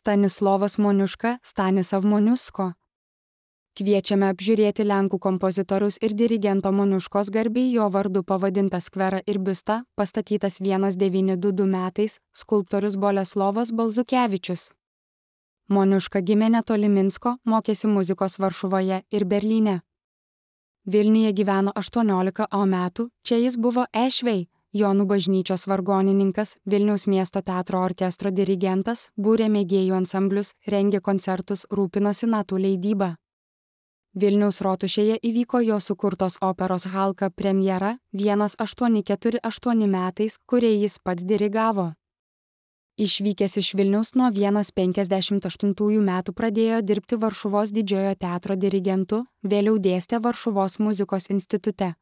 Stanislovas Moniuška, Stanislav Moniusko. Kviečiame apžiūrėti lenkų kompozitoriaus ir dirigento Moniuškos garbei jo vardu pavadintą skverą ir biustą, pastatytas 1922 metais, skulptorius Boleslovas Balzukevičius. Moniuška gimė netoli Minsko, mokėsi muzikos Varšuvoje ir Berlyne. Vilniuje gyveno 18 metų, čia jis buvo Ešvei, Jonų bažnyčios vargonininkas, Vilniaus miesto teatro orkestro dirigentas, būrė mėgėjų ansamblius, rengė koncertus, rūpinosi natų leidyba. Vilniaus rotušėje įvyko jo sukurtos operos Halka premjera 1848 metais, kuriai jis pats dirigavo. Išvykęs iš Vilniaus nuo 1958 metų pradėjo dirbti Varšuvos didžiojo teatro dirigentu, vėliau dėstė Varšuvos muzikos institute.